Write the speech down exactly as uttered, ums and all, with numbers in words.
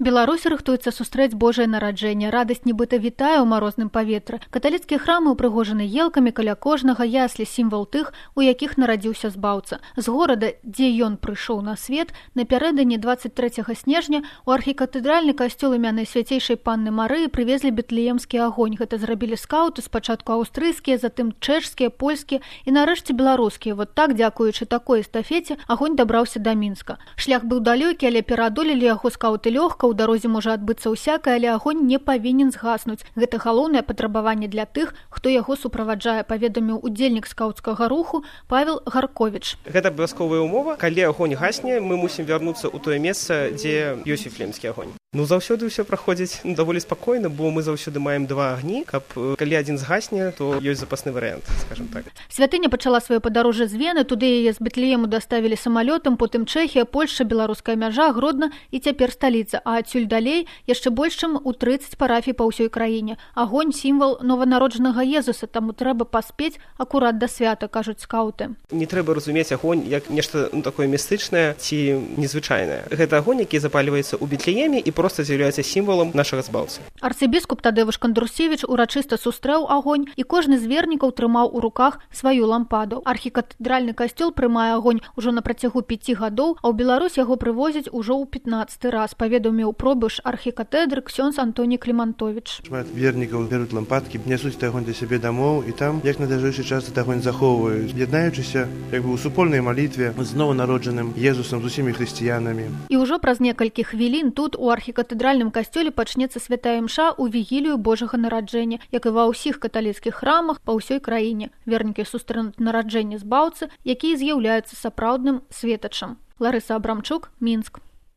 Беларусі рыхтуецца сустрэць Божае нараджэнне. Радасць нібыта вітае ў марозным паветры. Каталіцкія храмы ўпрыгожаны елкамі, каля кожнага яслі сімвал тых, у якіх нарадзіўся збаўца. З горада, дзе ён прыйшоў на свет, напярэдадні дваццаць трэцяга снежня у архікатэдральны касцёл імянай свяцейшай панны Марыі прывезлі бетлеемскі агонь. Гэта зрабілі скаўты, спачатку аўстрыйскія, затым чэшскія, польскія і нарэшце беларускія. Вот так, дзякуючы такой эстафеце, агонь дабраўся да Мінска. Шлях быў далёкі, але пераадолелі яго скаўты лёгка. У дарозе можа адбыцца ўсякае, але агонь не павінен згаснуць. Гэта галоўнае патрабаванне для тых, хто яго суправаджае, паведаміў удзельнік скаўцкага руху Павел Гарковіч. Гэта абавязковая умова. Калі агонь гасне, мы мусім вярнуцца ў тое месца, дзе ёсць віфлеемскі агонь. Ну, заўсёды ўсё праходзіць ну, даволі спакойна, бо мы заўсёды маем два агні, каб калі адзін згасне, то ёсць запасны варыянт, скажем так. Святыня пачала сваё падарожжа з Вены, туды яе з Бетлеему даставілі самалётам, потым Чэхія, Польшча, беларуская мяжа, Гродна і цяпер сталіца, а адсюль далей яшчэ больш чым у трыццаць парафій па ўсёй краіне. Агонь сімвал нованароджанага Езуса, таму трэба паспець акурат да свята, кажуць скаўты. Не трэба разумець агонь як нешта ну, такое містычнае ці незвычайнае. Гэта агонь, які запальваецца ў Бетлееме і просто з'яўляецца сімвалам нашага збаўцы. Арцыбіскуп Тадэвуш Кандрусевіч урачыста сустрэў агонь, і кожны з вернікаў трымаў у руках сваю лампаду. Архікатэдральны касцёл прымае агонь ужо на працягу пяці гадоў, а ў Беларусь яго прывозяць ужо ў пятнаццаты раз, паведаміў пробыш архікатэдры ксёндз Антоній Клімантовіч. Шмат вернікаў бяруць лампадкі, нясуць агонь да сябе дамоў і там, як на дажэйшы час агонь захоўваюць, яднаючыся як бы ў супольнай малітве з нованароджаным Езусам, з усімі хрысціянамі. І ўжо праз некалькі хвілін тут у архікатэдральным касцёле пачнецца святая імша ў вігілію Божага нараджэння, як і ва ўсіх каталіцкіх храмах па ўсёй краіне. Вернікі сустрэнуць нараджэнне збаўцы, які з'яўляецца сапраўдным светачам. Ларыса Абрамчук, Мінск.